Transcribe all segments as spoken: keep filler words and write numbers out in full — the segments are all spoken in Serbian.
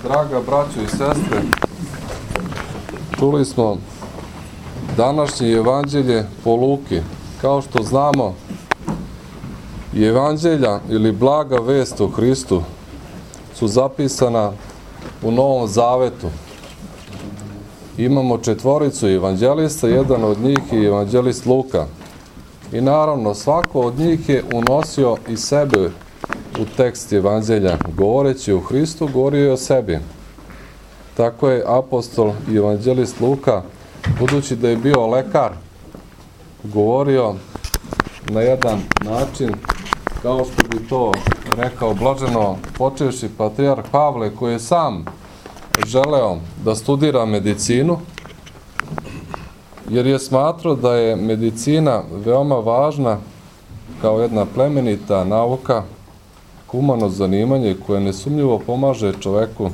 Draga braćo i sestre, čuli smo današnje evanđelje po Luki. Kao što znamo, evanđelja ili blaga vest o Hristu su zapisana u Novom Zavetu. Imamo četvoricu evanđelista, jedan od njih je evanđelist Luka. I naravno, svako od njih je unosio i sebe u tekst evanđelja. Govoreći o Hristu, govorio je o sebi. Tako je apostol i evanđelist Luka, budući da je bio lekar, govorio na jedan način, kao što bi to rekao blaženo počevši patrijarh Pavle, koji je sam želeo da studira medicinu, jer je smatrao da je medicina veoma važna kao jedna plemenita nauka, humano zanimanje koje nesumnjivo pomaže čoveku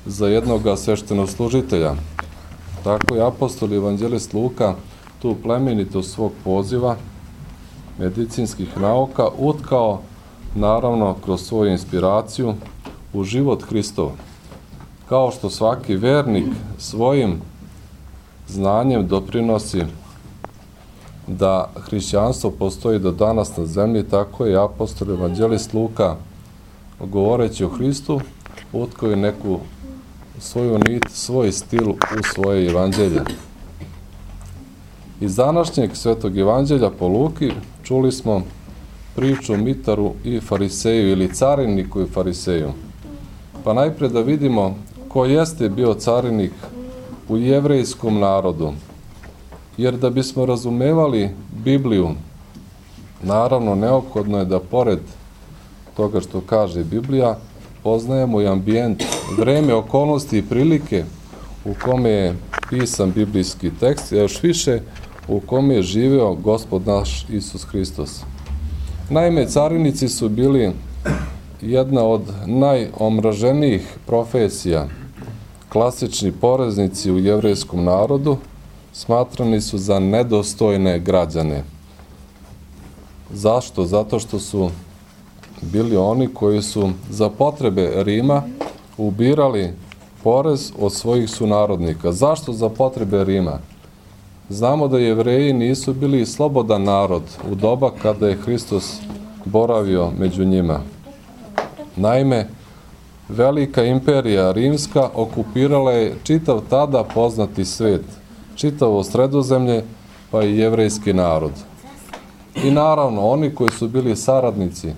za jednog sveštenoslужitelja. Tako je apostol i evanđelist Luka tu plemenitost svog poziva medicinskih nauka utkao, naravno, kroz svoju inspiraciju u život Hristov. Kao što svaki vernik svojim znanjem doprinosi da hrišćanstvo postoji do danas na zemlji, tako je apostol i evanđelist Luka, govoreći o Hristu, utkao je neku svoju nit, svoj stil u svoje evanđelje. Iz današnjeg svetog evanđelja po Luki čuli smo priču o Mitaru i Fariseju, ili cariniku i Fariseju. Pa najpre da vidimo ko jeste bio carinik u jevrejskom narodu. Jer da bismo razumevali Bibliju, naravno neophodno je da pored toga što kaže Biblija, poznajemo i ambijent, vreme, okolnosti i prilike u kome je pisan biblijski tekst, a još više u kome je živeo Gospod naš Isus Hristos. Naime, carinici su bili jedna od najomraženijih profesija. Klasični poreznici u jevrejskom narodu smatrani su za nedostojne građane. Zašto? Zato što su bili oni koji su za potrebe Rima ubirali porez od svojih sunarodnika. Zašto za potrebe Rima? Znamo da Jevreji nisu bili slobodan narod u doba kada je Hristos boravio među njima. Naime, velika imperija rimska okupirala je čitav tada poznati svet, čitavo Sredozemlje, pa i jevrejski narod. I naravno, oni koji su bili saradnici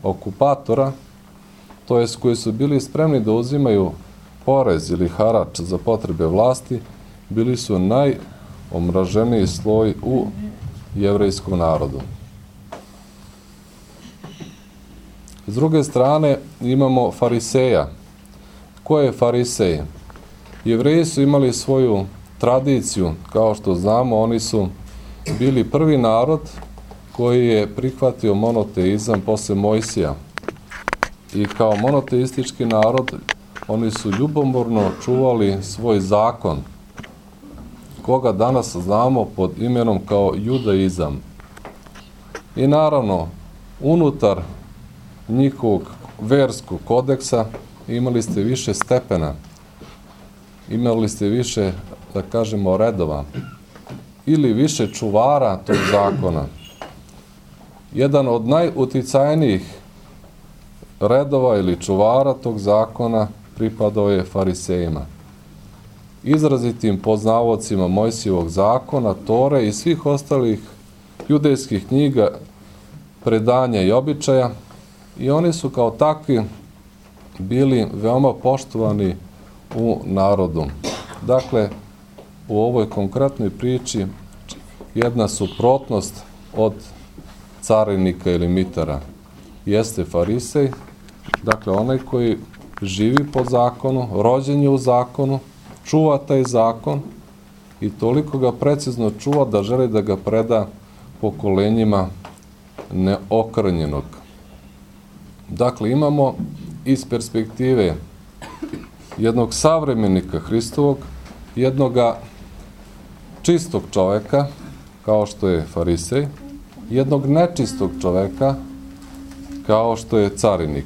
okupatora, to jest koji su bili spremni da uzimaju porez ili harač za potrebe vlasti, bili su najomraženiji sloj u jevrejskom narodu. S druge strane imamo Fariseja. Ko je Farisej? Jevreji su imali svoju tradiciju, kao što znamo, oni su bili prvi narod koji je prihvatio monoteizam posle Mojsija. I kao monoteistički narod, oni su ljubomorno čuvali svoj zakon, koga danas znamo pod imenom kao judaizam. I naravno, unutar njihovog verskog kodeksa imali ste više stepena, imali ste više, da kažemo, redova, ili više čuvara tog zakona. Jedan od najuticajnijih redova ili čuvara tog zakona pripadao je Farisejima. Izrazitim poznavaocima Mojsijevog zakona, Tore i svih ostalih judejskih knjiga, predanja i običaja, i oni su kao takvi bili veoma poštovani u narodu. Dakle, u ovoj konkretnoj priči jedna suprotnost od carinika ili mitara jeste Farisej, dakle onaj koji živi po zakonu, rođen je u zakonu, čuva taj zakon i toliko ga precizno čuva da želi da ga preda pokolenjima neokrnjenog. Dakle, imamo iz perspektive jednog savremenika Hristovog, jednoga čistog čoveka, kao što je Farisej, jednog nečistog čoveka, kao što je carinik.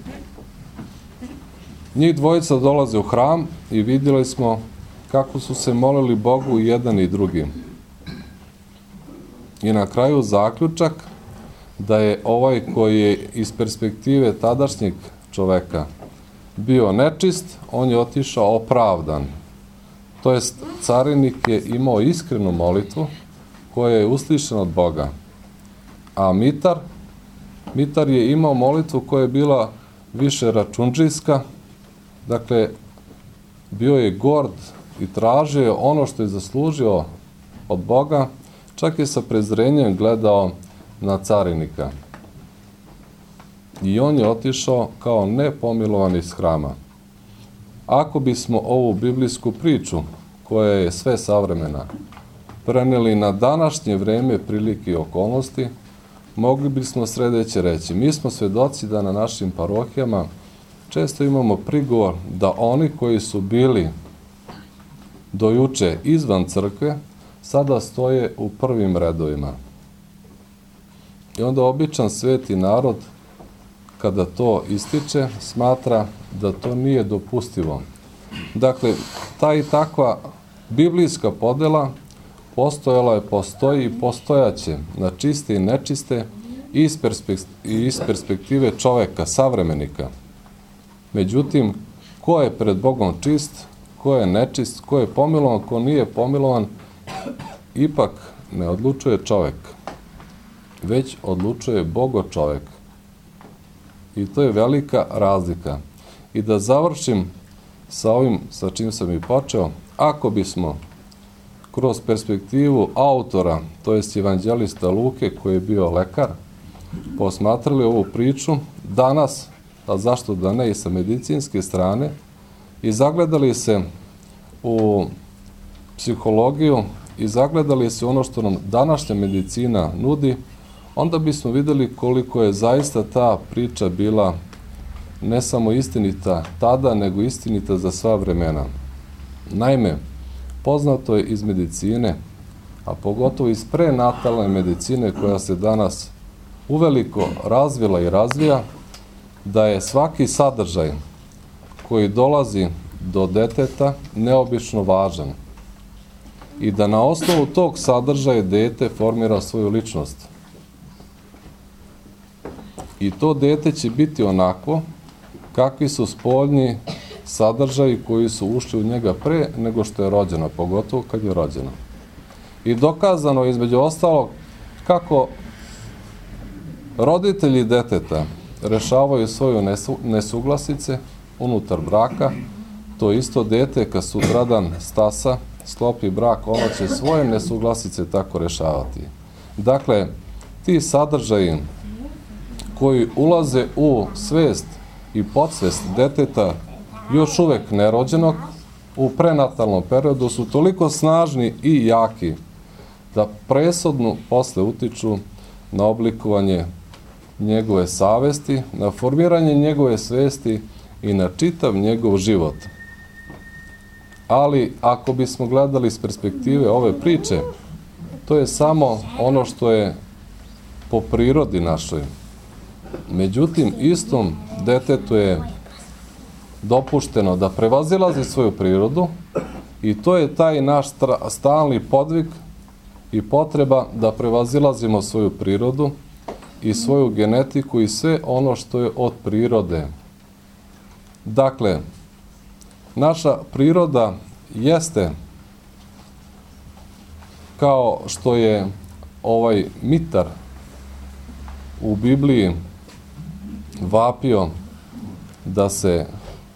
Njih dvojica dolaze u hram i vidjeli smo kako su se molili Bogu jedan i drugi. I na kraju zaključak da je ovaj koji je iz perspektive tadašnjeg čoveka bio nečist, on je otišao opravdan. To jest, carinik je imao iskrenu molitvu koja je uslišena od Boga. A Mitar, Mitar je imao molitvu koja je bila više račundžijska, dakle, bio je gord i tražio je ono što je zaslužio od Boga, čak je sa prezrenjem gledao na carinika. I on je otišao kao nepomilovan iz hrama. Ako bismo ovu biblijsku priču, koja je sve savremena, preneli na današnje vreme, prilike i okolnosti, mogli bismo sledeće reći. Mi smo svedoci da na našim parohijama često imamo prigovor da oni koji su bili do juče izvan crkve, sada stoje u prvim redovima. I onda običan sveti narod, kada to ističe, smatra da to nije dopustivo. Dakle, ta i takva biblijska podela postojala je, postoji i postojaće na čiste i nečiste i iz, perspek- i iz perspektive čoveka, savremenika. Međutim, ko je pred Bogom čist, ko je nečist, ko je pomilovan, ko nije pomilovan, ipak ne odlučuje čovek, već odlučuje Bogo čovek. I to je velika razlika. I da završim sa ovim sa čim sam i počeo, ako bismo kroz perspektivu autora, to jest evanđelista Luke, koji je bio lekar, posmatrali ovu priču danas, a zašto da ne i sa medicinske strane, i zagledali se u psihologiju i zagledali se ono što nam današnja medicina nudi, onda bismo videli koliko je zaista ta priča bila ne samo istinita tada, nego istinita za sva vremena. Naime, poznato je iz medicine, a pogotovo iz prenatalne medicine koja se danas uveliko razvila i razvija, da je svaki sadržaj koji dolazi do deteta neobično važan i da na osnovu tog sadržaja dete formira svoju ličnost. I to dete će biti onako kakvi su spoljni sadržaji koji su ušli u njega pre nego što je rođeno, pogotovo kad je rođeno. I dokazano je između ostalog kako roditelji deteta rešavaju svoje nesuglasice unutar braka, to isto dete kad sutradan stasa, sklopi brak, ono će svoje nesuglasice tako rešavati. Dakle, ti sadržaji koji ulaze u svest i podsvest deteta još uvek nerođenog, u prenatalnom periodu su toliko snažni i jaki da presudno posle utiču na oblikovanje njegove savesti, na formiranje njegove svesti i na čitav njegov život. Ali, ako bismo gledali iz perspektive ove priče, to je samo ono što je po prirodi našoj. Međutim, istom detetu je dopušteno da prevazilazi svoju prirodu i to je taj naš stalni podvig i potreba da prevazilazimo svoju prirodu i svoju genetiku i sve ono što je od prirode. Dakle, naša priroda jeste kao što je ovaj Mitar u Bibliji vapio da se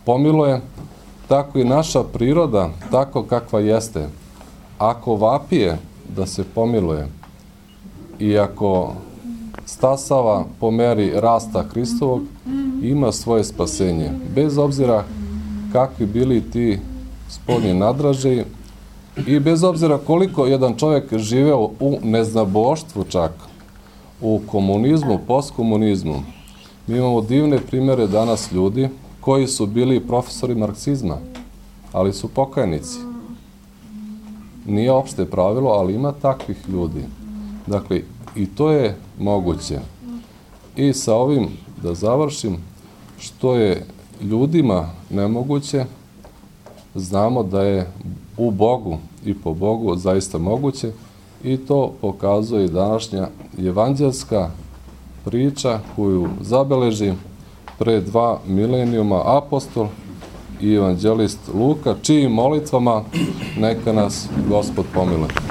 pomiluje, tako i naša priroda, tako kakva jeste, ako vapije da se pomiluje i ako stasava po meri rasta Hristovog, ima svoje spasenje. Bez obzira kakvi bili ti spoljni nadražaji i bez obzira koliko jedan čovjek živeo u neznaboštvu čak, u komunizmu, postkomunizmu. Mi imamo divne primere danas ljudi koji su bili profesori marksizma, ali su pokajnici. Nije opšte pravilo, ali ima takvih ljudi. Dakle, i to je moguće. I sa ovim, da završim, što je ljudima nemoguće, znamo da je u Bogu i po Bogu zaista moguće i to pokazuje i današnja evanđelska priča koju zabeleži pre dva milenijuma apostol i evanđelist Luka, čijim molitvama neka nas Gospod pomiluje.